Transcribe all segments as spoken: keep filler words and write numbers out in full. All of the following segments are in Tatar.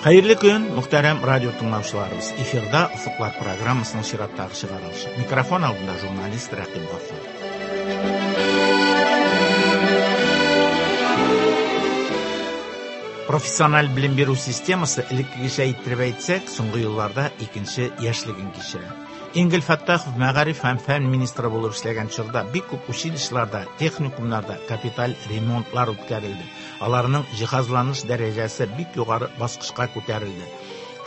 Хәерле көн, мөхтәрәм радио тыңлаучыларыбыз. Эфирда Офыклар программасының чираттагы чыгарылышы. Микрофон алдында журналист Рәкыйп Гаффар. Профессиональ белем бирү системасы элеккегечә иттереп әйтсәк, соңгы елларда икенче яшьлеген кичерә. Энгель Фәттахов мәгариф һәм фән министры булып эшләгән чорда бик күп училищеларда, техникумнарда капиталь ремонтлар үткәрелде. Аларның җиһазланыш дәрәҗәсе бик югары баскычка күтәрелде.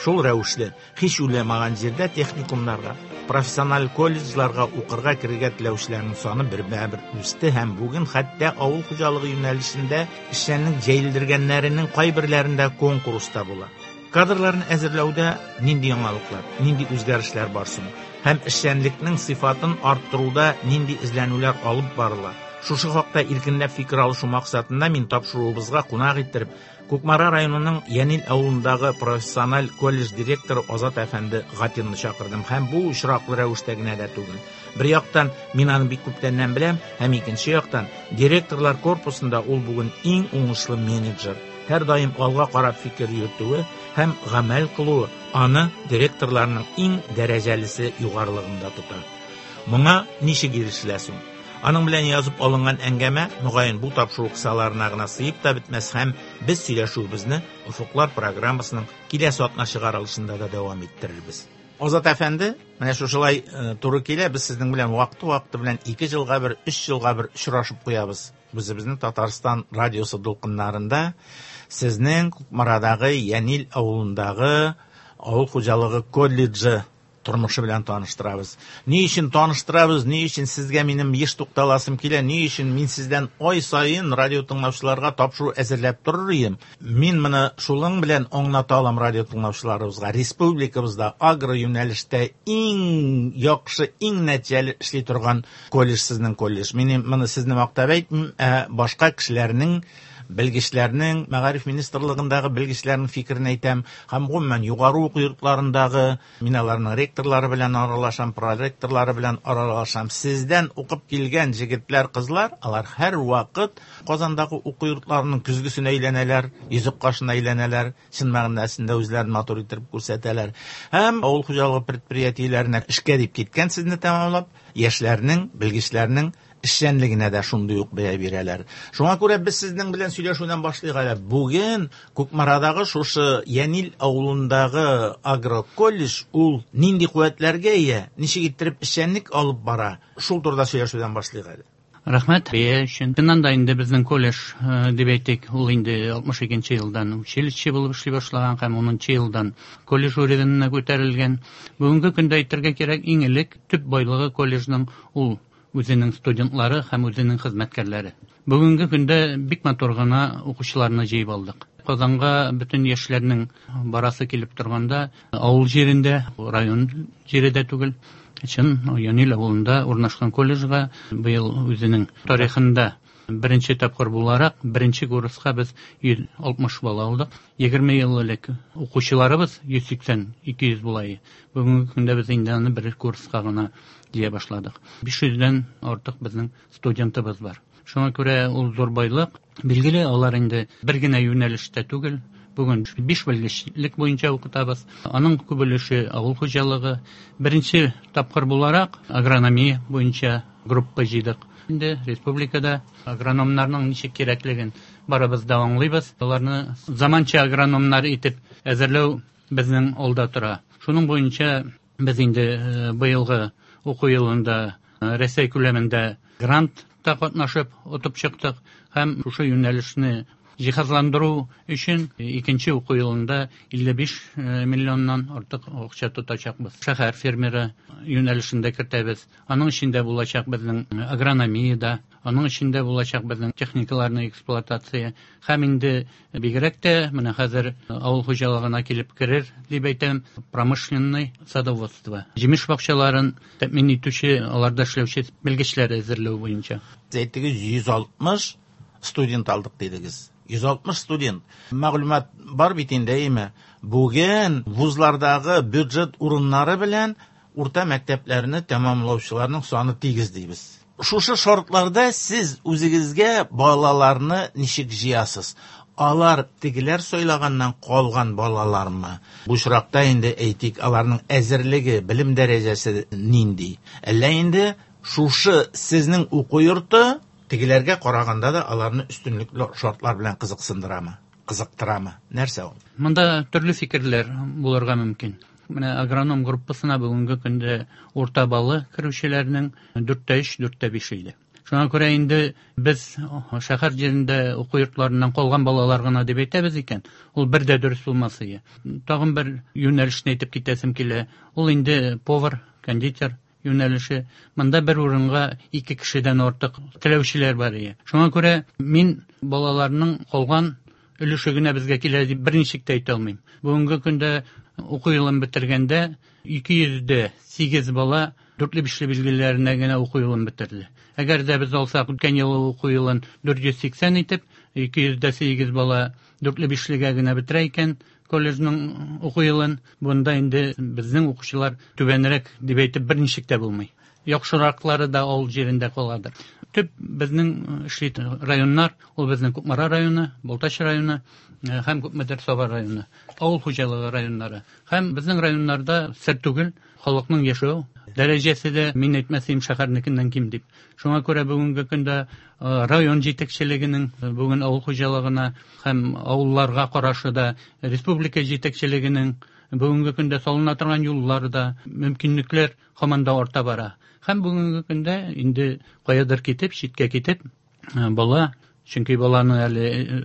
Шул рәвешле, һич уйламаган җирдә техникумнарга, профессиональ колледжларга укырга керергә теләүчеләрнең саны бермә-бер үсте һәм бүген хәтта авыл хуҗалыгы юнәлешендә эшчәнлек җәелдергәннәренең кайберләрендә конкурста була. Кадрларны әзерләүдә нинди яңалыклар, нинди үзгәрешләр бар соң? Һәм эшчәнлекнең сыйфатын арттыруда нинди эзләнүләр алып барыла? Шушы хакта иркенләп фикер алышу максатында мин тапшыруыбызга кунак иттереп, Кукмара районының Янил авылындагы профессиональ колледж директоры Азат әфәнде Гатинны чакырдым. Һәм бу очраклы рәвештә генә дә түгел. Бер яктан мин аны бик күптәннән беләм, һәм икенче яктан директорлар корпусында ул бүген иң уңышлы менеджер. Һәр даим алга карап фикер йөртүе һәм гамәл кылуы аны директорларның иң дәрәҗәлесе югарылыгында тота. Моңа ничек ирешелә соң? Аның белән язып алынган әңгәмә, мөгаен, бу тапшыру кысаларына гына сыеп та бетмәс һәм без сөйләшүебезне Офыклар программасының киләсе атна чыгарылышында да дәвам иттерербез. Азат әфәнде, менә шушылай туры килә, без сезнең белән вакыты-вакыты белән ике елга бер, өч елга бер очрашып куябыз. Үзебезнең Татарстан радиосы дулкыннарында сезнең Кукмарадагы Янил авылындагы авыл хуҗалыгы колледжы тормышы белән таныштырабыз. Ни өчен таныштырабыз, ни өчен сезгә минем еш тукталасым килә, ни өчен мин сездән ай саен радио тыңлаучыларга тапшыру әзерләп торыр идем. Мин моны шулың белән аңлата алам радио тыңлаучыларыбызга. Республикабызда агро юнәлештә иң яхшы, иң нәтиҗәле эшли торган колледж сезнең колледж. Мин моны сезне мактап әйтмим, ә башка кешеләрнең, белгечләрнең, мәгариф министрлыгындагы белгечләрнең фикерен әйтәм. Һәм гомумән югары уку йортларындагы, мин аларның ректорлары белән аралашам, проректорлары белән аралашам. Сездән укып килгән җегетләр, кызлар, алар һәр вакыт Казандагы уку йортларының көзгесенә әйләнәләр, йөзек кашына әйләнәләр, чын мәгънәсендә үзләрен матур итеп күрсәтәләр. Һәм авыл хуҗалыгы предприятиеләренә эшкә дип киткән сезне тәмамлап, яшьләрнең, белгечләрнең эшчәнлегенә дә шундый ук бәя бирәләр. Шуңа күрә без сезнең белән сөйләшүдән башлыйк әле. Бүген Кукмарадагы шушы Янил авылындагы агроколледж ул нинди куәтләргә ия, ничек иттереп эшчәнлек алып бара, шул турыда сөйләшүдән башлыйк әле. Рәхмәт бәя өчен. Чыннан да инде безнең колледж дип әйтик, ул инде алтмыш икенче елдан училище булып эшли башлаган һәм унынчы елдан колледж уровенына күтәрелгән. Бүгенге көндә әйтергә кирәк, иң элек төп байлыгы колледжның ул үзенең студентлары һәм үзенең хезмәткәрләре. Бүгенге көндә бик матур гына укучыларны җыеп алдык. Казанга бөтен яшьләрнең барасы килеп торганда, авыл җирендә, район җире дә түгел, чын Янил авылында урнашкан колледжга быел үзенең тарихында беренче тапкыр буларак, беренче курска без йөз алтмыш бала алдык. Егерме ел элек укучыларыбыз йөз сиксән, ике йөз була иде. Бүгенге көндә без инде аны бер курска гына җыя башладык. Биш йөздән артык безнең студентыбыз бар. Шуңа күрә ул зур байлык. Билгеле, алар инде бер генә юнәлештә түгел. Бүген биш белгечлек буенча укытабыз. Аның күп өлеше авыл хуҗалыгы. Беренче тапкыр буларак агрономия буенча группа җыйдык. Инде республикада агрономнарның ничек кирәклеген барыбыз да аңлыйбыз. Аларны заманча агрономнар итеп әзерләү безнең алда тора. Шуның буенча без инде быелгы уку елында Рәсәй күләмендә грантта катнашып отып чыктык һәм шушы юнәлешне җиһазландыру өчен икенче уку елында илле биш миллионнан артык акча тотачакбыз. Шәһәр фермеры юнәлешендә кертәбез. Аның эчендә булачак безнең агрономия да, аның эчендә булачак безнең техникаларны эксплуатация һәм инде бигрәк тә менә хәзер авыл хуҗалыгына килеп керер дип әйтәм, промышленный садоводство. Җимеш бакчаларын тәэмин итүче, аларда эшләүче белгечләр әзерләү буенча. Әйттегез, йөз алтмыш студент алдык дидегез. Йөз алтмыш студент. Мәгълүмат бар бит инде, әйме? Бүген вузлардагы бюджет урыннары белән урта мәктәпләрне тәмамлаучыларның саны тигез дибез. Шушы шартларда сез үзегезгә балаларны ничек җыясыз? Алар тегеләр сайлаганнан калган балалармы? Бу очракта инде әйтик, аларның әзерлеге, белем дәрәҗәсе нинди? Әллә инде шушы сезнең уку йорты тегеләргә караганда да аларны өстенлекле шартлар белән кызыксындырамы, кызыктырамы? Нәрсә ул? Монда төрле фикерләр булырга мөмкин. Менә агроном группасына бүгенге көндә урта баллы керүчеләрнең дүрт тә өч, дүрт тә биш иде. Шуңа күрә инде без шәһәр җирендә уку йортларыннан калган балалар гына дип әйтәбез икән, ул бер дә дөрес булмас иде. Тагын бер юнәлешне әйтеп китәсем килә. Ул инде повар, кондитер юнәлеше. Монда бер урынга ике кешедән артык теләүчеләр бар иде. Шуңа күрә мин балаларның калган өлеше генә безгә килә дип берничек тә әйтә алмыйм. Бүгенге көндә уку елын бетергәндә ике йөз дә сигез бала дүртле бишле билгеләренә генә уку елын бетерде. Әгәр дә без алсак үткән елгы уку елын дүрт йөз сиксән итеп, ике йөз дә сигез бала дүртле бишлегә генә бетерә икән колледжның уку елын, бунда инде безнең укучылар түбәнрәк дип әйтеп берничек тә булмый. Яхшыраклары да авыл җирендә каладыр. Төп безнең эшли районнар, ул безнең Кукмара районы, Балтач районы һәм Күпмедер Саба районы, авыл хуҗалыгы районнары. Һәм безнең районнарда сер түгел, халыкның яшәү дәрәҗәсе дә, мин әйтмәсем, шәһәрнекеннән ким дип. Шуңа күрә бүгенге көндә район җитәкчелегенең бүген авыл хуҗалыгына һәм авылларга карашы да, республика җитәкчелегенең бүгенге көндә салына торган юллар да, мөмкинлекләр һаман да арта бара. Һәм бүгенге көндә инде каядыр китеп, читкә китеп, бала, чөнки баланы әле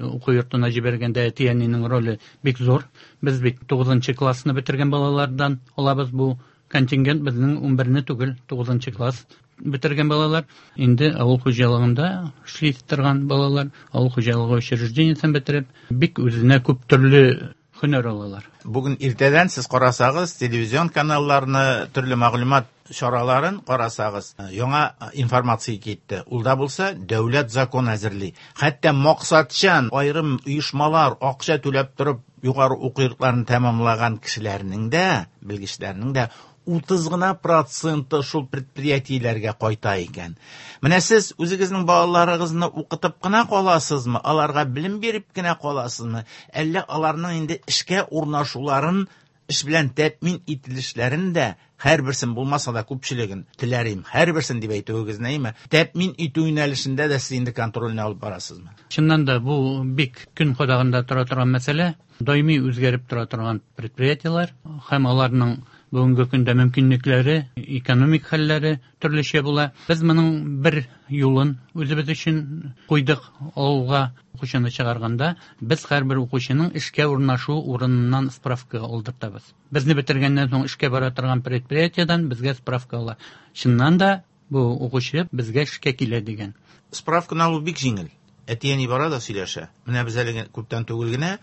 уку йортына җибәргәндә әти-әнинең роле бик зур. Без бит тугызынчы классны бетергән балалардан алабыз, бу контингент безнең унберне түгел, тугызынчы класс бетергән балалар. Инде авыл хуҗалыгында эшли торган балалар, авыл хуҗалыгы учреждениесен бетереп, бик үзенә күп төрле һөнәр алалар. Бүген иртәдән сез карасагыз, телевизион каналларны, төрле мәгълүмат чараларын карасагыз, яңа информация китте. Ул да булса, дәүләт закон әзерли. Хәтта максатчан аерым оешмалар акча түләп торып югары уку йортларын тәмамлаган кешеләрнең дә, белгечләрнең дә утыз гына проценты шул предприятиеләргә кайта икән. Менә сез үзегезнең балаларыгызны укытып кына каласызмы, аларга белем биреп кенә каласызмы, әллә аларның инде эшкә урнашуларын, эш белән тәэмин ителешләрен дә, һәрберсен булмаса да күпчелеген теләрим, һәрберсен дип әйтүегез нәйме, тәэмин итү юнәлешендә дә сез инде контрольне алып барасызмы? Чыннан да бу бик көн кадагында тора торган мәсьәлә, даими үзгәреп тора торган предприятиеләр һәм аларның бүгенге көндә мөмкинлекләре, экономик хәлләре төрлечә була. Без моның бер юлын үзебез өчен куйдык авылга укучыны чыгарганда, без һәрбер укучының эшкә урнашу урыныннан справка алдыртабыз. Безне бетергәннән соң эшкә бара торган предприятиедән безгә справка ала. Чыннан да бу укучы безгә эшкә килә дигән. Справканы алу бик җиңел. Әти-әни бара да сөйләшә. Менә без әле күптән түгел генә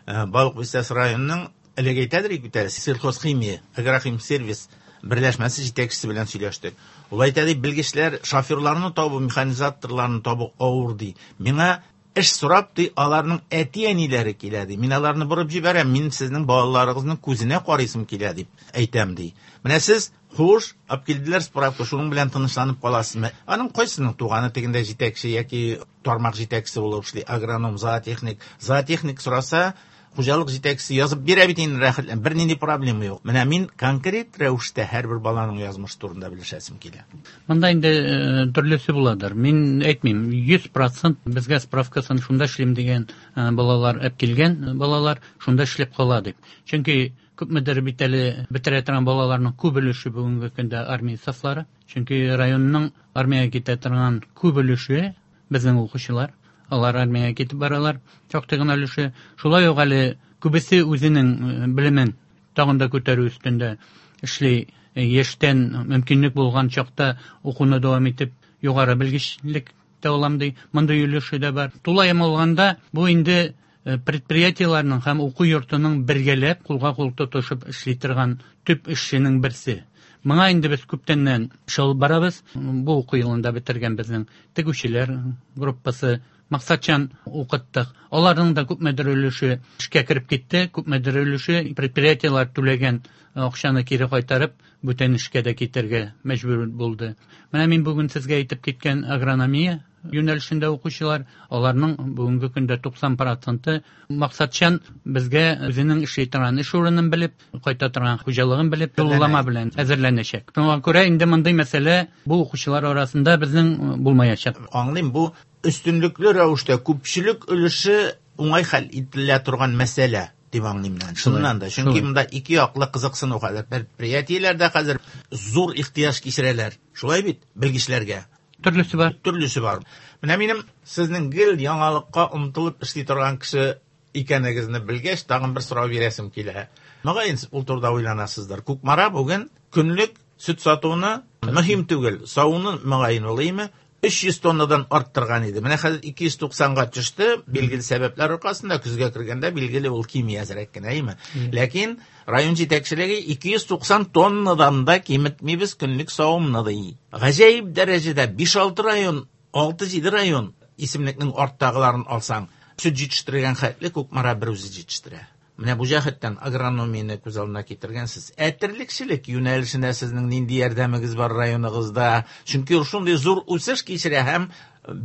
Балык Бистәсе районының элек әйтәдер бит әле, сельхозхимия, агрохимсервис берләшмәсе җитәкчесе белән сөйләштек. Ул әйтә ди, белгечләр шоферларны табу, механизаторларны табу авыр ди. Миңа эш сорап ди, аларның әти-әниләре килә ди. Мин аларны борып җибәрәм, мин сезнең балаларыгызның күзенә карыйсым килә дип әйтәм ди. Менә сез хуш, алып килделәр справка, шуның белән тынычланып каласызмы? Аның кайсының туганы тегендә җитәкче яки тармак җитәкчесе булып эшли, агроном, зоотехник. Зоотехник сораса, хуҗалык җитәкчесе язып бирә бит инде рәхәтләнеп, бернинди проблема юк. Менә мин конкрет рәвештә һәрбер баланың язмышы турында белешәсем килә. Монда инде, э, төрлесе буладыр. Мин әйтмим, йөз процент безгә справкасын шунда эшлим дигән, э, балалар әп килгән балалар шунда эшләп кала дип. Чөнки күпмедер бит әле бетерә торган балаларның күп өлеше бүгенге көндә армия сафлары. Чөнки районның армиягә китә торган күп өлеше безнең укучылар. Алар армиягә китеп баралар, шактый гына өлеше. Шулай ук әле күбесе үзенең, э, белемен тагын да күтәрү өстендә эшли. Яшьтән мөмкинлек булган чакта укуны дәвам итеп, югары белгечлек тә алам ди. Мондый өлеше дә бар. Тулаем алганда, бу инде, э, предприятиеләрнең һәм уку йортының бергәләп кулга-кул тотышып эшли торган төп эшченең берсе. Моңа инде без күптәннән эш алып барабыз. Бу уку елында бетергән безнең тегүчеләр группасы максатчан укыттык. Аларның да күпмедер өлеше эшкә кереп китте, күпмедер өлеше предприятиеләр түләгән акчаны кире кайтарып, бүтән эшкә дә китәргә мәҗбүр булды. Менә мин бүген сезгә әйтеп киткән агрономия юнәлешендә укучылар, аларның бүгенге көндә туксан проценты максатчан безгә үзенең эшли торган эш урынын белеп, кайта торган хуҗалыгын белеп, юллама белән әзерләнәчәк. Шуңа күрә инде мондый мәсьәлә бу укучылар арасында безнең булмаячак. Аңлыйм, бу өстенлекле рәвештә күпчелек өлеше уңай хәл ителә торган мәсьәлә дип аңлыйм мин. Чыннан да, чөнки монда ике яклы кызыксыну хәзер. Предприятиеләрдә хәзер зур ихтыяҗ кичерәләр. Шулай бит, белгечләргә. Төрлесе бар. Төрлесе бар. Менә минем сезнең гел яңалыкка омтылып эшли торган кеше икәнегезне белгәч, тагын бер сорау бирәсем килә. Мөгаен ул турыда уйланасыздыр. Кукмара бүген көнлек сөт сатуны мөһим түгел, савуны мөгаен улыймы? Өч йөз тоннадан арттырган иде. Менә хәзер ике йөз туксанга төште, билгеле сәбәпләр аркасында көзгә кергәндә билгеле ул кими әзрәк кенә, әйме? Ләкин район җитәкчелеге ике йөз туксан тоннадан да киметмибез көнлек савымны ди. Гаҗәеп дәрәҗәдә биш-алты район, алты-җиде район исемлекнең арттагыларын алсаң, сөт җитештергән хәтле Кукмара бер үзе җитештерә. Менә бу җәһәттән агрономияне күз алдына китергәнсез. Ә терлекчелек юнәлешенә сезнең нинди ярдәмегез бар районыгызда? Чөнки ул шундый зур үсеш кичерә һәм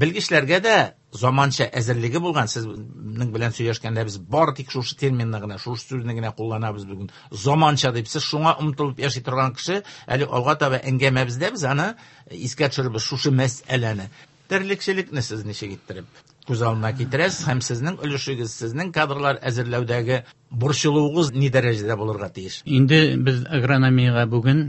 белгечләргә дә заманча әзерлеге булган. Сезнең белән сөйләшкәндә без бары тик шушы терминны гына, шушы сүзне генә кулланабыз бүген. Заманча дип, сез шуңа омтылып яши торган кеше, әле алга таба әңгәмәбездә без аны искә төшерербез шушы мәсьәләне. Терлекчелекне сез ничек иттереп күз алдына китерәсез һәм сезнең өлешегез, сезнең кадрлар әзерләүдәге борчылуыгыз ни дәрәҗәдә булырга тиеш? Инде без агрономиягә бүген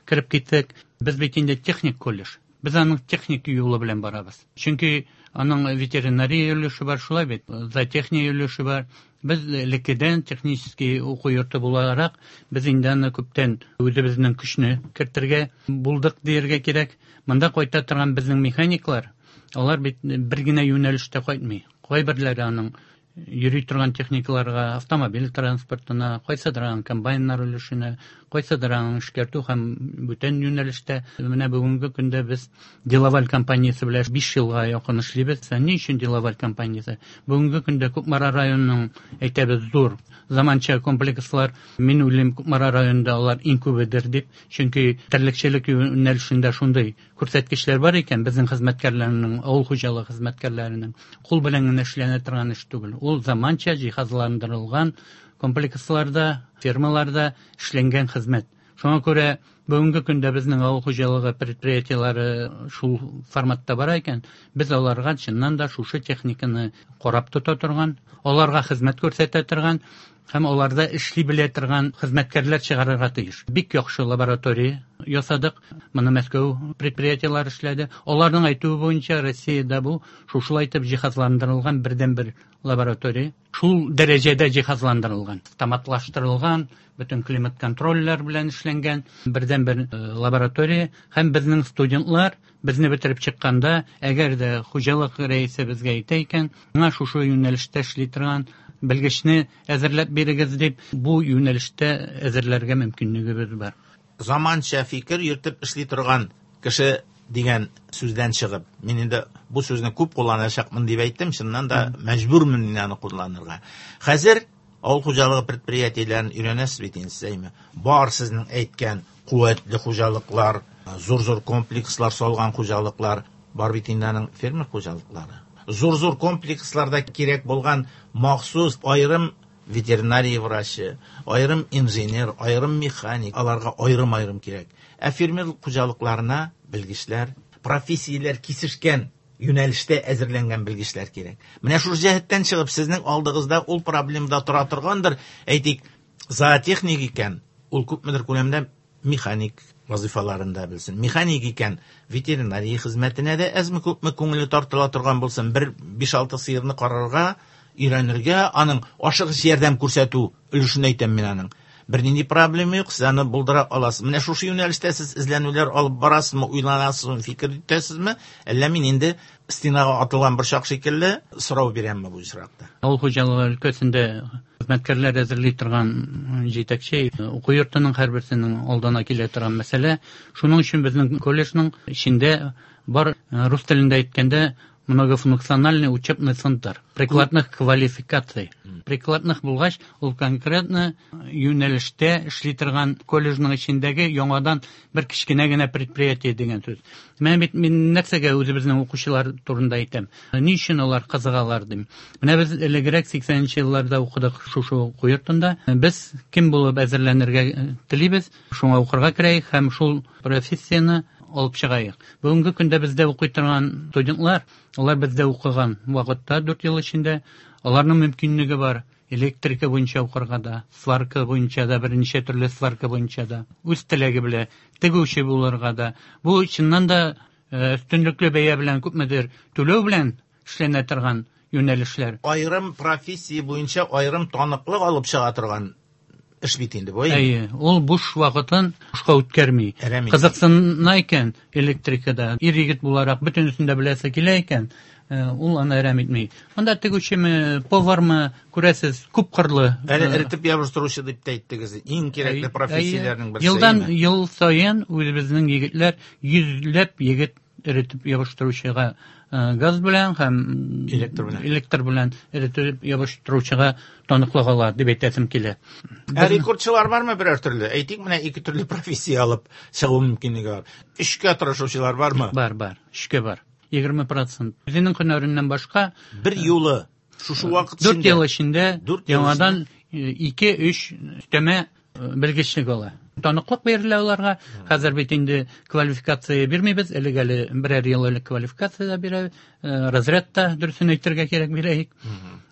кереп киттек. Без бит инде техник колледж. Без аның техник юлы белән барабыз. Чөнки аның ветеринария өлеше бар, шулай бит, зоотехния өлеше бар. Без элеккедән технический уку йорты буларак, без инде аны күптән үзебезнең көчне кертергә булдык дияргә кирәк. Монда кайта торган безнең механиклар, алар бит бер генә юнәлештә кайтмый. Кайберләре аның йөри торган техникаларга, автомобиль транспортына, кайсыдыр аның комбайннар өлешенә, кайсыдыр аның эшкәртү һәм бүтән юнәлештә. Менә бүгенге көндә без Делаваль компаниясе белән биш елга якын эшлибез. Ә ни өчен Делаваль компаниясе? Бүгенге көндә Кукмара районының, әйтәбез, зур заманча комплекслар, мин уйлыйм, Кукмара районында алар иң күбедер дип, чөнки терлекчелек юнәлешендә шундый күрсәткечләр бар икән, безнең хезмәткәрләрнең, авыл хуҗалыгы хезмәткәрләренең кул белән генә эшләнә торган эш түгел. Ул заманча җиһазландырылган комплексларда, фермаларда эшләнгән хезмәт. Шуңа күрә бүгенге көндә безнең авыл хуҗалыгы предприятиеләре шул форматта бара икән, без аларга чыннан да шушы техниканы карап тота торган, аларга хезмәт күрсәтә торган һәм аларда эшли белә торган хезмәткәрләр чыгарырга тиеш. Бик яхшы лаборатория ясадык. Моны Мәскәү предприятиеләре эшләде. Аларның әйтүе буенча Россиядә бу шушылай итеп җиһазландырылган бердәнбер лаборатория. Шул дәрәҗәдә җиһазландырылган, автоматлаштырылган, бөтен климат контрольләр белән эшләнгән бердәнбер, э, лаборатория. Һәм безнең студентлар безне бетереп чыкканда, әгәр дә хуҗалык рәисе безгә әйтә икән, миңа шушы юнәлештә эшли торган белгечне әзерләп бирегез дип, бу юнәлештә әзерләргә мөмкинлегебез бар. Заманча фикер йөртеп эшли торган кеше дигән сүздән чыгып, мин инде бу сүзне күп кулланачакмын дип әйттем, чыннан да мәҗбүрмен мин аны кулланырга. Хәзер авыл хуҗалыгы предприятиеләрен өйрәнәсез бит инде сез, әйме? Бар сезнең әйткән куәтле хуҗалыклар, зур-зур комплекслар салган хуҗалыклар, бар бит инде аның фермер хуҗалыклары. Зур-зур комплексларда кирәк булган махсус аерым ветеринария врачы, аерым инженер, аерым механик, аларга аерым-аерым кирәк. Ә фермер хуҗалыкларына белгечләр, профессияләр кисешкән юнәлештә әзерләнгән белгечләр кирәк. Менә шул җәһәттән чыгып, сезнең алдыгызда ул проблемда тора торгандыр. Әйтик, зоотехник икән, ул күпмедер күләмдә механик вазифаларын да белсен. Механик икән, ветеринария хезмәтенә дә әзме-күпме күңеле тартыла торган булсын. Бер биш-алты сыерны карарга, өйрәнергә, аның ашыгыч ярдәм күрсәтү өлешен әйтәм мин аның. Бернинди проблема юк, сез аны булдыра аласыз. Менә шушы юнәлештә сез эзләнүләр алып барасызмы, уйланасызмы, фикер итәсезме? Әллә мин инде стенага атылган борчак шикелле сорау бирәмме бу очракта? Авыл хуҗалыгы өлкәсендә хезмәткәрләр әзерли торган җитәкче уку йортының һәрберсенең алдына килә торган мәсьәлә. Шуның өчен безнең колледжның эчендә бар, рус телендә әйткәндә, Многофункциональный учебный центр прикладных квалификаций. Прикладных булгач, ул конкретно юнәлештә эшли торган колледжның эчендәге яңадан бер кечкенә генә предприятие дигән сүз. Менә бит мин нәрсәгә үзебезнең укучылар турында әйтәм. Ни өчен алар кызыгалар дим. Менә без элегрәк сиксәненче елларда укыдык шушы уку йортында. Без кем булып әзерләнергә телибез, шуңа укырга керәйек һәм шул профессияне алып чыгайык. Бүгенге көндә бездә укый торган студентлар, алар бездә укыган вакытта дүрт ел эчендә аларның мөмкинлеге бар. Электрика буенча укырга да, сварка буенча да, берничә төрле сварка буенча да, үз теләге белән тегүче булырга да. Бу чыннан да өстенлекле бәя белән күпмедер түләү белән эшләнә торган юнәлешләр. Аерым профессия буенча аерым таныклык алып чыга торган эш бит инде бу. Әйе, ул буш вакытын бушка үткәрми. Кызыксына икән электрикада, ир егет буларак бөтенесен дә беләсе килә икән, ул аны әрәм итми. Монда тегүчеме, повармы, күрәсез, күп кырлы. Әле эретеп ябыштыручы дип тә әйттегез. Иң кирәкле профессияләрнең берсе. Елдан ел саен үзебезнең егетләр йөзләп егет эретеп ябыштыручыга газ белән һәм электр белән электр белән эретеп ябыштыручыга таныклык ала дип әйтәсем килә. Ә рекордчылар бармы берәр төрле? Әйтик, менә ике төрле профессия алып чыгу мөмкинлеге бар. Эшкә тырышучылар бармы? Бар, бар. Эшкә бар. Егерме процент. Үзенең һөнәреннән башка бер юлы шушы вакыт эчендә дүрт ел эчендә яңадан ике, өч өстәмә белгечлек ала. Таныклык бирелә аларга. Хәзер бит инде квалификация бирмибез. Элек әле берәр ел элек квалификация дә бирә, разряд та дөресен әйтергә кирәк бирәйек.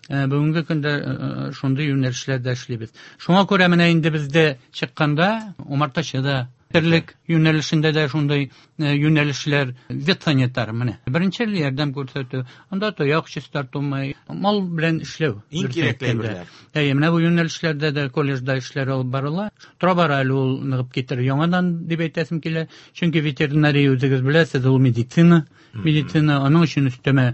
Бүгенге көндә шундый юнәлешләрдә эшлибез. Шуңа күрә менә инде бездә чыкканда умартачы да, терлек юнәлешендә дә шундый юнәлешләр, ветсанитар менә. Беренче ярдәм күрсәтү, анда тояк чистарту, мал белән эшләү. Иң кирәкле әйберләр. Әйе, менә бу юнәлешләрдә дә колледжда эшләр алып барыла. Тора-бара әле ул ныгып китер яңадан дип әйтәсем килә. Чөнки ветеринария үзегез беләсез, ул медицина, медицина, аның өчен өстәмә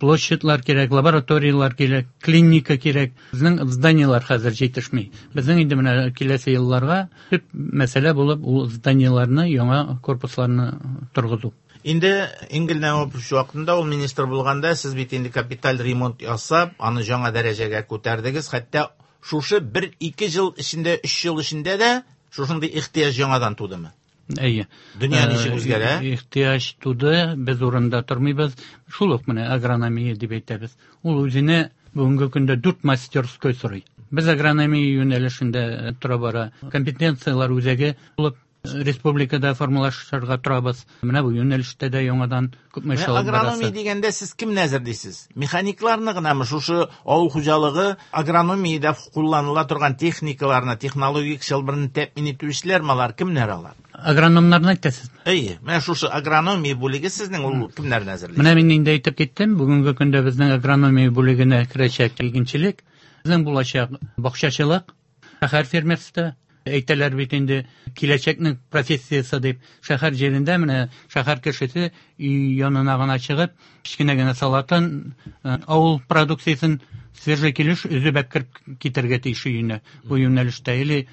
площадьлар кирәк, лабораториялар кирәк, клиника кирәк. Безнең зданиелар хәзер җитешми. Безнең инде менә киләсе елларга төп мәсьәлә булып ул зданиеларны, яңа корпусларны торгызу. Инде Энгель Нәвапович вакытында ул министр булганда сез бит инде капиталь ремонт ясап, аны яңа дәрәҗәгә күтәрдегез. Хәтта шушы бер-ике ел эчендә, өч ел эчендә дә шушындый ихтыяҗ яңадан тудымы? Әйе. Дөнья ничек үзгәрә? Ихтыяҗ туды, без урында тормыйбыз. Шул ук менә агрономия дип әйтәбез. Ул үзенә бүгенге көндә дүрт мастерской сорый. Без агрономия юнәлешендә тора бара. Компетенцияләр үзәге булып республикада формалашырга торабыз. Менә бу юнәлештә дә яңадан күпме эш алып барасы. Агрономия дигәндә сез кемне әзерлисез? Механикларны гынамы? Шушы авыл хуҗалыгы агрономиядә кулланыла торган техникаларны, технологик чылбырны тәэмин итүчеләрме алар, кемнәр алар? Агрономнарны әйтәсез? Әйе, менә шушы агрономия бүлеге сезнең ул кемнәрне әзерли? Менә мин инде әйтеп киттем, бүгенге көндә безнең агрономия бүлегенә керәчәк игенчелек, безнең булачак бакчачылык, шәһәр фермерство. Әйтәләр бит инде киләчәкнең профессиясе дип. Шәһәр җирендә менә шәһәр кешесе өй янына гына чыгып, кечкенә генә салатын, авыл продукциясен свежий килеш өзеп әкереп китергә тиеш өенә. Бу юнәлештә или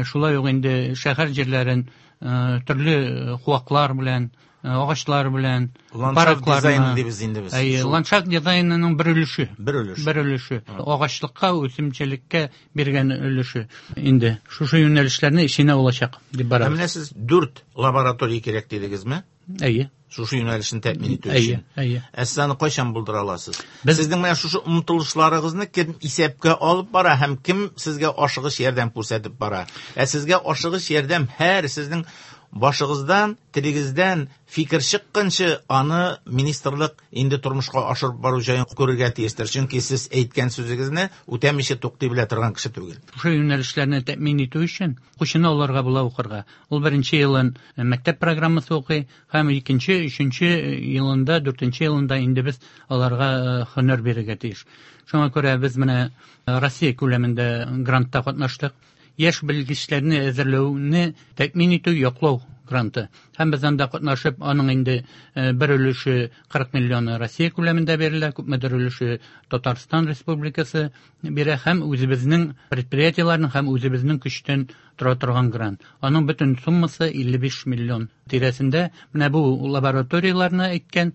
шулай ук инде шәһәр җирләрен төрле куаклар белән, агачлар белән, ландшафт дизайны дибез инде без. Әйе, ландшафт дизайнының бер өлеше. Бер өлеше. Бер өлеше. Агачлыкка, үсемчелеккә биргән өлеше. Инде шушы юнәлешләрне эченә алачак дип барабыз. Ә менә сез дүрт лаборатория кирәк дидегезме? Әйе. Шушы юнәлешне тәэмин итү өчен. Әйе, әйе. Ә сез аны кайчан булдыра аласыз? Сезнең менә шушы омтылышларыгызны кем исәпкә алып бара һәм кем сезгә ашыгыч ярдәм күрсәтеп бара? Ә сезгә ашыгыч ярдәм һәр сезнең башыгыздан, телегездән фикер чыкканчы аны министрлык инде тормышка ашырып бару җаен күрергә тиештер. Чөнки сез әйткән сүзегезне үтәмичә туктый белә торган кеше түгел. Шушы юнәлешләрне тәэмин итү өчен укучыны аларга була укырга. Ул беренче елын мәктәп программасы укый һәм икенче, өченче елында, дүртенче елында инде без аларга һөнәр бирергә тиеш. Шуңа күрә без менә Россия күләмендә грантта катнаштык. Яшь белгечләрне әзерләүне тәэмин итү яклау гранты. Һәм без анда катнашып, аның инде бер өлеше кырык миллионы Россия күләмендә бирелә, күпмедер өлеше Татарстан Республикасы бирә һәм үзебезнең предприятиеләрнең һәм үзебезнең көчтән тора торган грант. Аның бөтен суммасы илле биш миллион тирәсендә. Менә бу лабораторияләрне әйткән,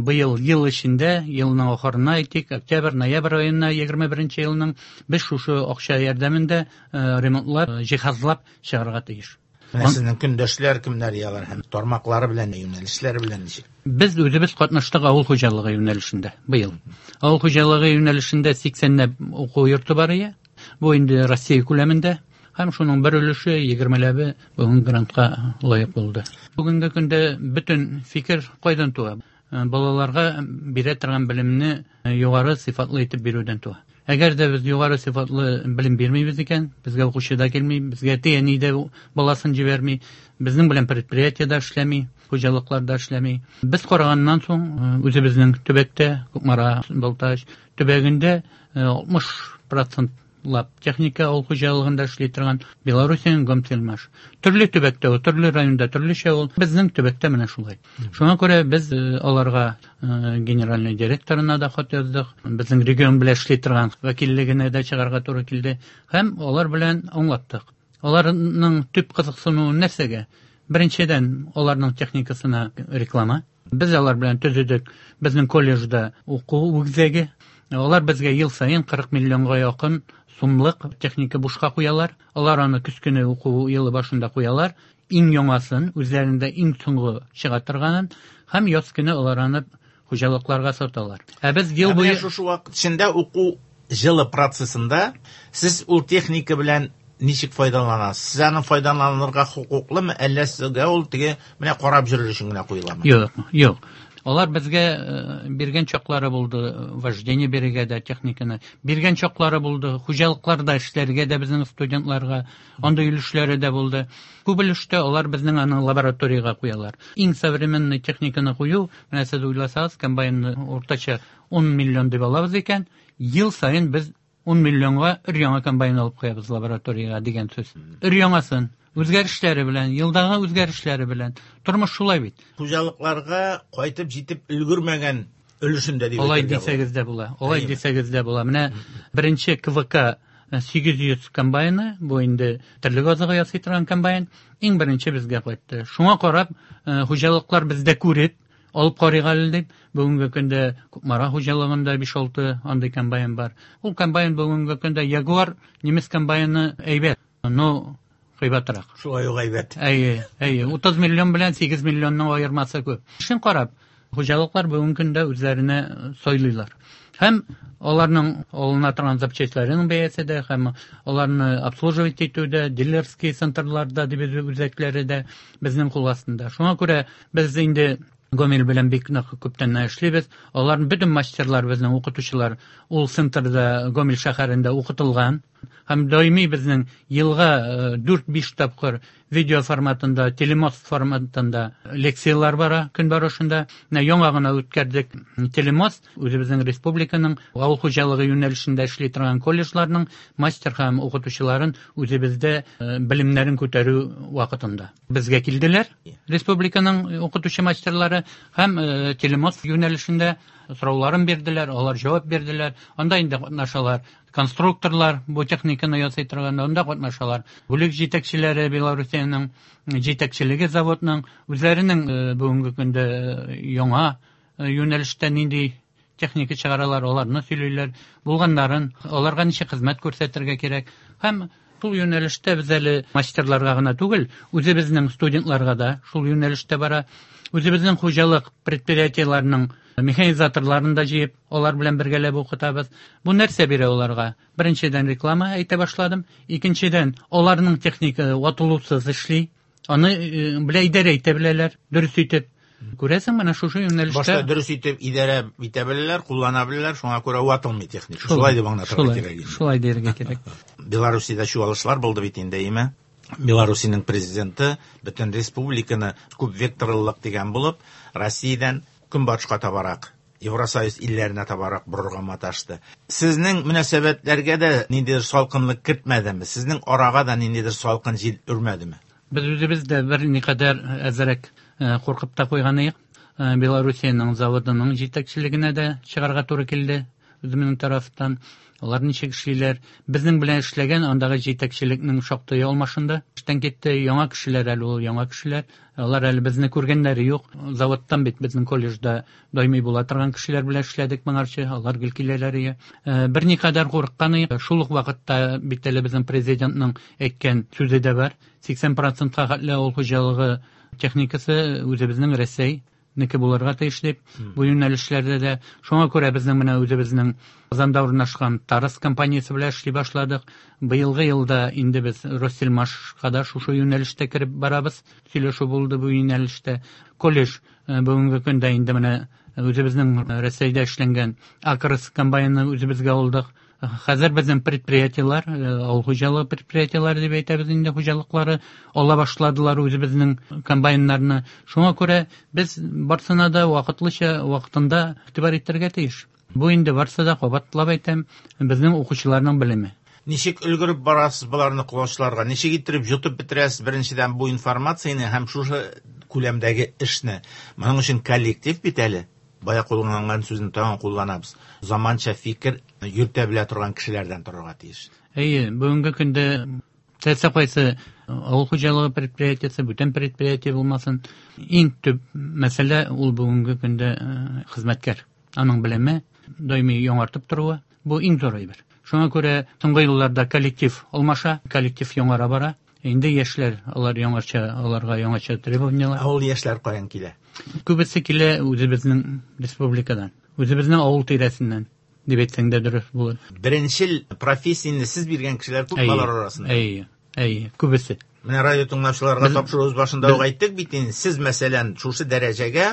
быел ел эчендә, елның ахырына әйтик, октябрь, ноябрь аена егерме беренче елның без шушы акча ярдәмендә ремонтлап, җиһазлап чыгарга тиеш. Менә сезнең көндәшләр кемнәр ялар һәм тармаклары белән, юнәлешләре белән ничек? Без үзебез катнаштык авыл хуҗалыгы юнәлешендә быел. Авыл хуҗалыгы юнәлешендә сиксәнләп уку йорты бар ие. Бу инде Россия күләмендә. Һәм шуның бер өлеше егермеләбе бүген грантка лаек булды. Бүгенге көндә бөтен фикер кайдан туа? Балаларга бирә торган белемне югары сыйфатлы итеп бирүдән туа. Әгәр дә без югары сыйфатлы белем бирмибез икән, безгә укучы да килми, безгә әти-әни дә баласын җибәрми, безнең белән предприятиедә эшләми, хуҗалыкларда эшләми. Без караганнан соң үзебезнең төбәктә, Кукмара, Балтач төбәгендә алтмыш процент лап техника авыл хуҗалыгында эшли торган Белоруссиянең Гомсельмаш. Төрле төбәктә, төрле районда төрлечә ул. Безнең төбәктә менә шулай. Шуңа күрә без аларга генеральный директорына да хат яздык, безнең регион белән эшли торган вәкиллегенә дә чыгарга туры килде һәм алар белән аңлаттык. Аларның төп кызыксынуы нәрсәгә? Беренчедән, аларның техникасына реклама. Без алар белән төзедек безнең колледжда уку үзәге. Алар безгә ел саен кырык миллионга якын сумлык техника бушка куялар. Алар аны көз көне уку елы башында куялар. Иң яңасын, үзләрендә иң соңгы чыга торганын һәм яз көне алар аны хуҗалыкларга саталар. Ә без ел буе шушы вакыт эчендә уку җылы процессында сез ул техника белән ничек файдаланасыз? Сез аны файдаланырга хокуклымы, әллә сезгә ул теге менә карап йөрер өчен генә куеламы? Юк, юк. Алар безгә биргән чаклары булды, вождение бирергә дә техниканы, биргән чаклары булды, хуҗалыкларда эшләргә дә безнең студентларга, андый өлешләре дә булды. Күп өлештә алар безнең аны лабораториягә куялар. Иң современный техниканы кую, менә сез уйласагыз, комбайнны уртача ун миллион дип алабыз икән, ел саен без ун миллионга өр яңа комбайн алып куябыз лабораториягә дигән сүз. Өр яңасын. Үзгәрешләре белән, елдагы үзгәрешләре белән. Тормыш шулай бит. Хуҗалыкларга кайтып җитеп өлгермәгән өлешендә дип Алай дисәгез дә була. Алай дисәгез дә була. Менә беренче К В К сигез йөз комбайны, бу инде терлек азыгы ясый торган комбайн, иң беренче безгә кайтты. Шуңа карап, хуҗалыклар бездә күреп, алып карыйк әле дип, бүгенге көндә Кукмара хуҗалыгында биш-алты андый комбайн бар. Ул комбайн бүгенге көндә Ягуар немец комбайны әйбәт, но кыйбатрак. Шулай ук әйбәт. Әйе, әйе. Утыз миллион белән сигез миллионның аермасы күп. Шуны карап, хуҗалыклар бүгенге көндә үзләренә сайлыйлар. Һәм аларның алына торган запчастьларының бәясе дә, һәм аларны обслуживать итү дә, дилерский центрларда дип үзәкләре дә безнең кул астында. Шуңа күрә без инде Гомель белән бик нык күптәннән эшлибез. Аларның бөтен мастерлар, безнең укытучылар ул центрда Гомель шәһәрендә укытылган. Һәм даими безнең елга дүрт-биш тапкыр видео форматында, телемост форматында лекциялар бара көн барышында. Менә яңа гына үткәрдек телемост, үзебезнең республиканың авыл хуҗалыгы юнәлешендә эшли торган колледжларның мастер һәм укытучыларын үзебездә белемнәрен күтәрү вакытында. Безгә килделәр республиканың укытучы мастерлары һәм телемост юнәлешендә сорауларын бирделәр, алар җавап бирделәр. Анда инде катнашалар конструкторлар, бу техниканы ясый торган, анда катнашалар. Бүлек җитәкчеләре Белоруссиянең җитәкчелеге заводның үзләренең бүгенге көндә яңа юнәлештә нинди техника чыгаралар, аларны сөйлиләр, булганнарын, аларга ничек хезмәт күрсәтергә кирәк. Һәм шул юнәлештә без әле мастерларга гына түгел, үзебезнең студентларга да шул юнәлештә бара. Үзебезнең хуҗалык предприятиеләренең механизаторларын да җыеп, алар белән бергәләп укытабыз. Бу нәрсә бирә аларга? Беренчедән реклама әйтә башладым. Икенчедән, аларның техника ватылусыз эшли. Аны белә идарә итә беләләр, дөрес итеп. Күрәсең, менә шушы юнәлештә башта дөрес итеп идарә итә беләләр, куллана беләләр, шуңа күрә ватылмый техника. Шулай дип аңлатырга кирәк инде. Шулай дияргә кирәк. Белоруссиядә чуалышлар булды бит инде, әйме? Белоруссиянең президенты бөтен республиканы күп векторлылык дигән булып, Россиядән көнбатышка табарак, Евросоюз илләренә табарак борырга маташты. Сезнең мөнәсәбәтләргә дә ниндидер салкынлык кертмәдеме? Сезнең арага да ниндидер салкын җил өрмәдеме? Без үзебез дә берникадәр әзрәк куркып та куйган идек. Белоруссиянең заводының җитәкчелегенә дә чыгарга туры килде үземнең тарафтан. Алар ничек эшлиләр? Безнең белән эшләгән андагы җитәкчелекнең шактый алмашынды. Эштән китте яңа кешеләр әле ул яңа кешеләр. Алар әле безне күргәннәре юк. Заводтан бит безнең колледжда даими була торган кешеләр белән эшләдек моңарчы. Алар гел киләләр иде. Берникадәр курыккан идек. Шул ук вакытта бит әле безнең президентның әйткән сүзе дә бар. сиксән процентка хәтле авыл хуҗалыгы техникасы үзебезнең Рәсәй неке булырга тиеш дип, бу юнәлешләрдә дә. Шуңа күрә безнең менә үзебезнең Казанда урнашкан Тарас компаниясе белән эшли башладык. Быелгы елда инде без Россельмашка да шушы юнәлештә кереп барабыз. Сөйләшү булды бу юнәлештә. Колледж бүгенге көндә инде менә үзебезнең Рәсәйдә эшләнгән Акрос комбайнын үзебезгә алдык. Хәзер безнең предприятиелар, авыл хуҗалыгы предприятиелары дип әйтәбез инде, хуҗалыклары ала башладылар үзебезнең комбайннарны. Шуңа күрә без барсына да вакытлыча, вакытында игътибар итәргә тиеш. Бу инде барсы да, кабатлап әйтәм, безнең укучыларның белеме. Ничек өлгереп барасыз боларны колачларга? Ничек иттереп йотып бетерәсез беренчедән бу информацияне һәм шушы күләмдәге эшне? Моның өчен коллектив бит әле. Бая кулланган сүзне тагын кулланабыз. Заманча фикер йөртә белә торган кешеләрдән торырга тиеш. Әйе, бүгенге көндә теләсә кайсы авыл хуҗалыгы предприятиесе, бүтән предприятие булмасын, иң төп мәсьәлә ул бүгенге көндә хезмәткәр. Аның белеме даими яңартып торуы, бу иң зур әйбер. Шуңа күрә соңгы елларда коллектив алмаша, коллектив яңара бара. Инде яшьләр, алар яңача, аларга яңача требованиялар. Ә ул яшьләр каян килә? Күбесе килә үзебезнең республикадан, үзебезнең авыл тирәсеннән дип әйтсәң дә дөрес булыр. Беренчел профессияне сез биргән кешеләр күп алар арасында. Әйе, әйе, күбесе. Менә радио тыңлаучыларга тапшыруыбыз башында ук әйттек бит инде, сез мәсәлән шушы дәрәҗәгә,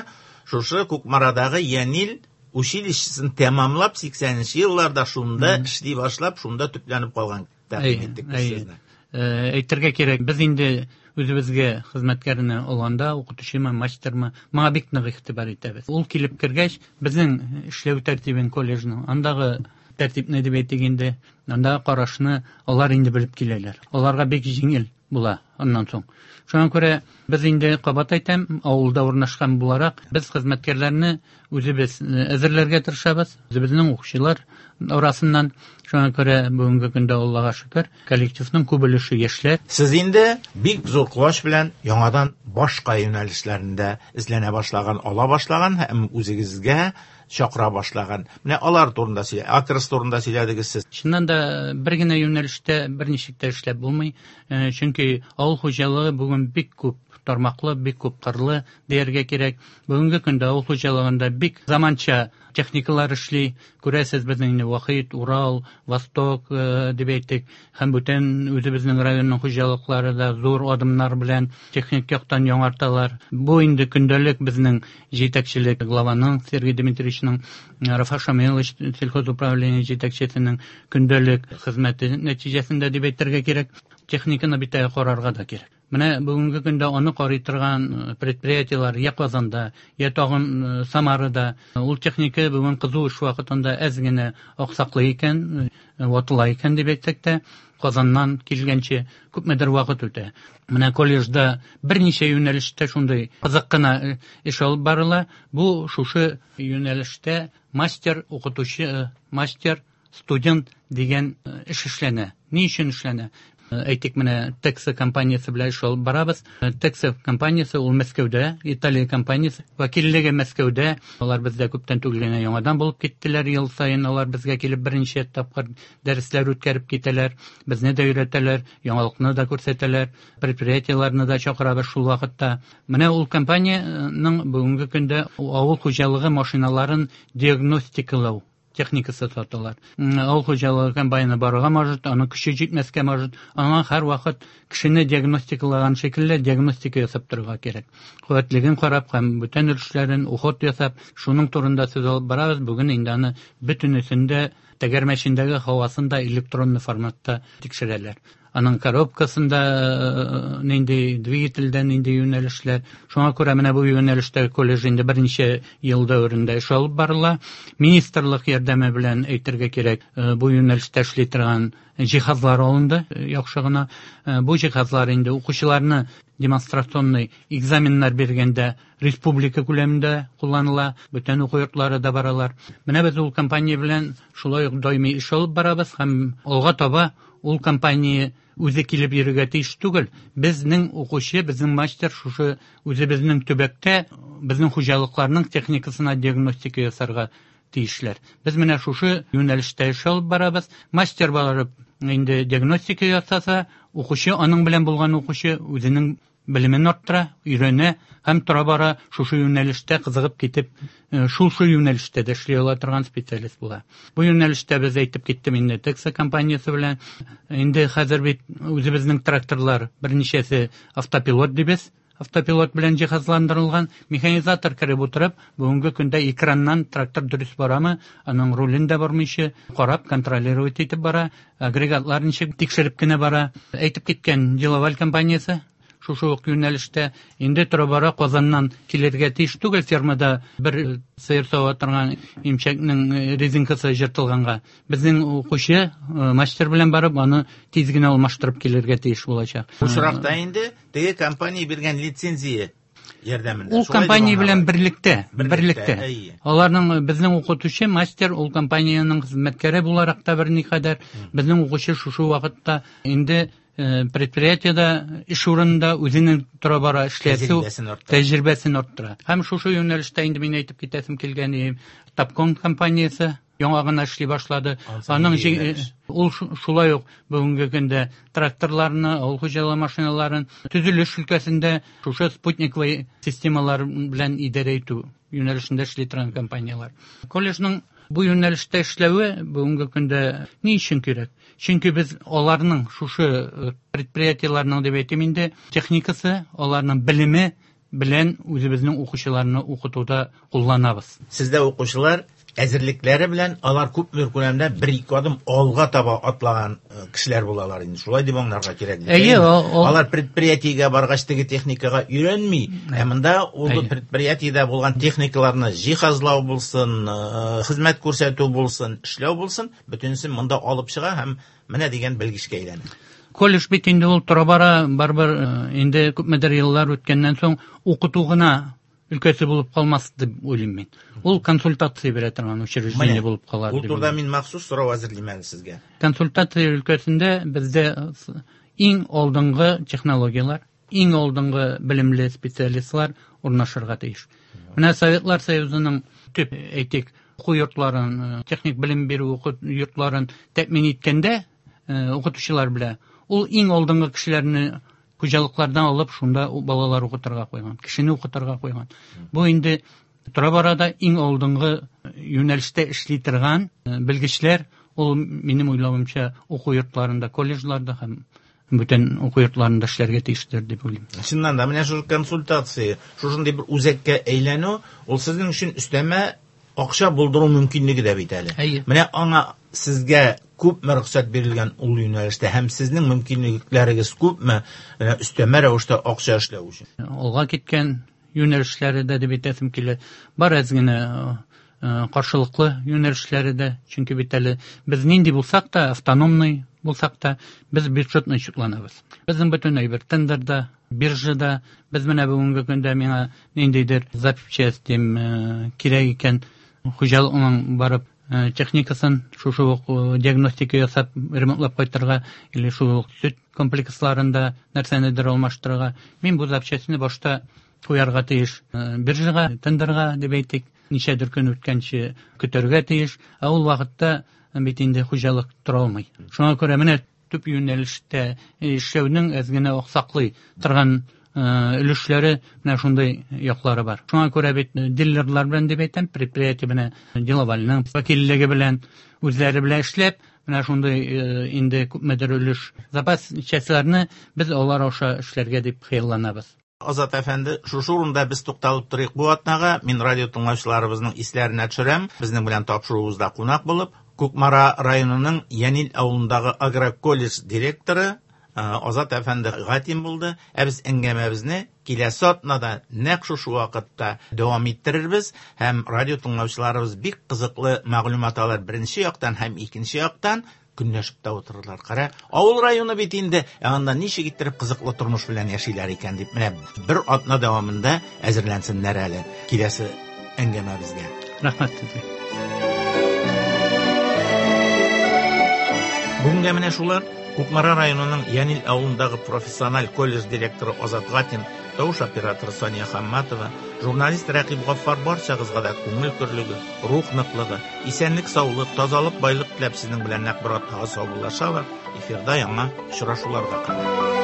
шушы Кукмарадагы Янил училищесын тәмамлап сиксәненче елларда шунда эшли башлап, шунда төпләнеп калган тәкъдим иттек без сезне. Әйтергә кирәк, без инде үзебезгә хезмәткәрне алганда, укытучымы, мастермы, моңа бик нык игътибар итәбез. Ул килеп кергәч, безнең эшләү тәртибен колледжның, андагы тәртипне дип әйтик инде, андагы карашны алар инде белеп киләләр. Аларга бик җиңел була аннан соң. Шуңа күрә без инде кабат әйтәм, авылда урнашкан буларак, без хезмәткәрләрне үзебез әзерләргә тырышабыз, үзебезнең укучылар арасыннан. Шуңа күрә бүгенге көндә Аллага шөкер, коллективның күп өлеше яшьләр. Сез инде бик зур куач белән яңадан башка юнәлешләрендә эзләнә башлаган, ала башлаган һәм үзегезгә чакыра башлаган. Менә алар турында сөйлә, Акрос турында сөйләдегез сез. Чыннан да бер генә юнәлештә берничек тә эшләп булмый, чөнки авыл хуҗалыгы бүген бик күп тармаклы, бик күп кырлы дияргә кирәк. Бүгенге көндә авыл хуҗалыгында бик заманча техникалар эшли. Күрәсез, безнең инде Вахит, Урал, Восток дип әйтик, һәм бүтән үзебезнең районның хуҗалыклары да зур адымнар белән техник яктан яңарталар. Бу инде көндәлек безнең җитәкчелек главаның Сергей Дмитриевичның, Рафа Шамилович сельхозуправление җитәкчесенең көндәлек хезмәте нәтиҗәсендә дип әйтергә кирәк. Техниканы бит карарга да кирәк. Менә бүгенге көндә аны карый торган предприятиелар я Казанда, я тагын Самарада. Ул техника бүген кызу эш вакытында әз генә аксаклый икән, ватыла икән дип әйтсәк тә, Казаннан килгәнче күпмедер вакыт үтә. Менә колледжда берничә юнәлештә шундый кызык кына эш алып барыла. Бу шушы юнәлештә мастер, укытучы, мастер, студент дигән эш эшләнә. Ни өчен эшләнә? Әйтик, менә Текса компаниясе белән эш алып барабыз. Текса компаниясе ул Мәскәүдә, Италия компаниясе, вәкиллеге Мәскәүдә. Алар бездә күптән түгел генә яңадан булып киттеләр. Ел саен алар безгә килеп берничә тапкыр дәресләр үткәреп китәләр, безне дә өйрәтәләр, яңалыкны да күрсәтәләр, предприятиеләрне дә чакырабыз шул вакытта. Менә ул компанияның бүгенге көндә авыл хуҗалыгы машиналарын диагностикалау техникасы саталар. Авыл хуҗалыгы комбайны барырга может, аның көче җитмәскә может. Аңа һәр вакыт кешене диагностикалаган шикелле диагностика ясап торырга кирәк. Куәтлеген карап һәм бүтән өлешләрен уход ясап, шуның турында сүз алып барабыз. Бүген инде аны бөтенесендә тәгәрмәчендәге һавасын да электронный форматта тикшерәләр. Аның коробкасында нинди двигательдә нинди юнәлешләр. Шуңа күрә менә бу юнәлештә колледж инде берничә ел дәверендә эш алып барыла. Министрлык ярдәме белән әйтергә кирәк, бу юнәлештә эшли торган җиһазлар алынды, яхшы гына. Бу җиһазлар инде укучыларны демонстрационный экзаменнар биргәндә республика күләмендә кулланыла, бүтән уку йортлары да баралар. Менә без ул компания белән шулай ук даими эш алып барабыз һәм алга таба ул компания үзе килеп йөрергә тиеш түгел. Безнең укучы, безнең мастер шушы үзебезнең төбәктә безнең хуҗалыкларның техникасына диагностика ясарга тиешләр. Без менә шушы юнәлештә эш алып барабыз. Мастер барып инде диагностика ясаса, укучы, аның белән булган укучы үзенең белемен арттыра, өйрәнә һәм тора-бара шушы юнәлештә кызыгып китеп, шул шул юнәлештә дә эшли ала торган специалист була. Бу юнәлештә без әйтеп киттем инде Текса компаниясе белән. Инде хәзер бит үзебезнең тракторлар берничәсе автопилот дибез. Автопилот белән җиһазландырылган механизатор кереп утырып, бүгенге көндә экраннан трактор дөрес барамы, аның рулен дә бармыйча карап, контролировать итеп бара, агрегатлар ничек тикшереп кенә бара. Әйтеп киткән Делаваль компаниясе шушы ук юнәлештә инде тора-бара Казаннан килергә тиеш түгел, фермада бер сыер сава торган имчәкнең резинкасы җыртылганга. Безнең укучы мастер белән барып, аны тиз генә алмаштырып килергә тиеш булачак. Бу очракта инде теге компания биргән лицензия ярдәмендә. Ул компания белән берлектә, берлектә. Аларның безнең укытучы мастер ул компаниянең хезмәткәре буларак та берникадәр, безнең укучы шушы вакытта инде предприятиедә эш урынында үзенең тора-бара эшләсү тәҗрибәсен арттыра. Һәм шушы юнәлештә инде мин әйтеп китәсем килгән, Тапкон компаниясе яңа гына эшли башлады. Аның ул шулай ук бүгенге көндә тракторларны, авыл хуҗалыгы машиналарын төзелеш өлкәсендә шушы спутниковый системалар белән идарә итү юнәлешендә эшли торган компанияләр. Колледжның бу юнәлештә эшләве бүгенге көндә ни өчен кирәк? Чөнки без аларның шушы предприятиеләрнең дип әйтим инде техникасы, аларның белеме белән үзебезнең укучыларны укытуда кулланабыз. Сездә укучылар әзерлекләре белән алар күпмедер күләмдә бер-ике адым алга таба атлаган кешеләр булалар инде. Шулай дип аңларга кирәк. Әйе, алар предприятиегә баргач теге техникага өйрәнми. Ә монда ул предприятиедә булган техникаларны җиһазлау булсын, хезмәт күрсәтү булсын, эшләү булсын, бөтенесен монда алып чыга һәм менә дигән белгечкә әйләнә. Колледж бит инде ул тора-бара барыбер инде күпмедер еллар үткәннән соң укыту гына өлкәсе булып калмас дип уйлыйм мин. Ул консультация бирә торган учреждение булып калар. Ул турыда мин махсус сорау әзерлим әле сезгә. Консультация өлкәсендә бездә иң алдынгы технологияләр, иң алдынгы белемле специалистлар урнашырга тиеш. Менә Советлар Союзының төп, әйтик, уку йортларын, техник белем бирү уку йортларын тәэмин иткәндә укытучылар белән ул иң алдынгы кешеләрне хуҗалыклардан алып шунда балалар укытырга куйган, кешене укытырга куйган. Бу инде тора-бара да иң алдынгы юнәлештә эшли торган белгечләр, ул минем уйлавымча уку йортларында, колледжларда һәм бүтән уку йортларында эшләргә тиештер дип уйлыйм. Чыннан да менә шул консультация, шушындый бер үзәккә әйләнү, ул сезнең өчен өстәмә акча булдыру мөмкинлеге дә бит әле. Менә аңа сезгә күпме рөхсәт бирелгән ул юнәлештә һәм сезнең мөмкинлекләрегез күпме өстәмә рәвештә акча эшләү өчен? Алга киткән юнәлешләре дә дип әйтәсем килә. Бар әз генә каршылыклы юнәлешләре дә, чөнки бит әле без нинди булсак та, автономный булсак та, без бюджетный чутланабыз. Безнең бөтен әйбер тендерда, биржада, без менә бүгенге көндә миңа ниндидер запчасть дим кирәк икән, хуҗалыкның барып техникасын шушы ук диагностика ясап ремонтлап кайтырга или шул ук сөт комплексларында нәрсәнедер алмаштырырга, мин бу запчастьны башта куярга тиеш биржага, тендерга дип әйтик, ничәдер көн үткәнче көтәргә тиеш, ә ул вакытта бит инде хуҗалык тора алмый. Шуңа күрә менә төп юнәлештә эшләүнең әз генә аксаклый торган өлешләре менә шундый яклары бар. Шуңа күрә бит дилерлар белән дип әйтәм, предприятие менә Делавальның вәкиллеге белән үзләре белән эшләп, менә шундый инде күпмедер өлеш запас частьларны без алар аша эшләргә дип хыялланабыз. Азат әфәнде, шушы урында без тукталып торыйк бу атнага. Мин радио тыңлаучыларыбызның исләренә төшерәм. Безнең белән тапшыруыбызда кунак булып, Кукмара районының Янил авылындагы агроколледж директоры Азат әфәнде Гатин булды. Ә без әңгәмәбезне киләсе атнада нәкъ шушы вакытта дәвам иттерербез һәм радио тыңлаучыларыбыз бик кызыклы мәгълүмат алыр беренче яктан һәм икенче яктан көнләшеп тә утырырлар. Кара, авыл районы бит инде, ә анда ничек иттереп кызыклы тормыш белән яшиләр икән дип, менә бер атна дәвамында әзерләнсеннәр әле киләсе әңгәмәбезгә. Рәхмәт сезгә. Бүгенгә менә шулар. Кукмара районының Янил авылындагы профессиональ колледж директоры Азат Гатин, тавыш операторы Сания Хамматова, журналист Рәкыйп Гаффар барчагызга да күңел көрлеге, рух ныклыгы, исәнлек, саулык, тазалык, байлык теләп сезнең белән нәкъ бер атнага саубуллашалар. Эфирда яңа очрашуларга кадәр.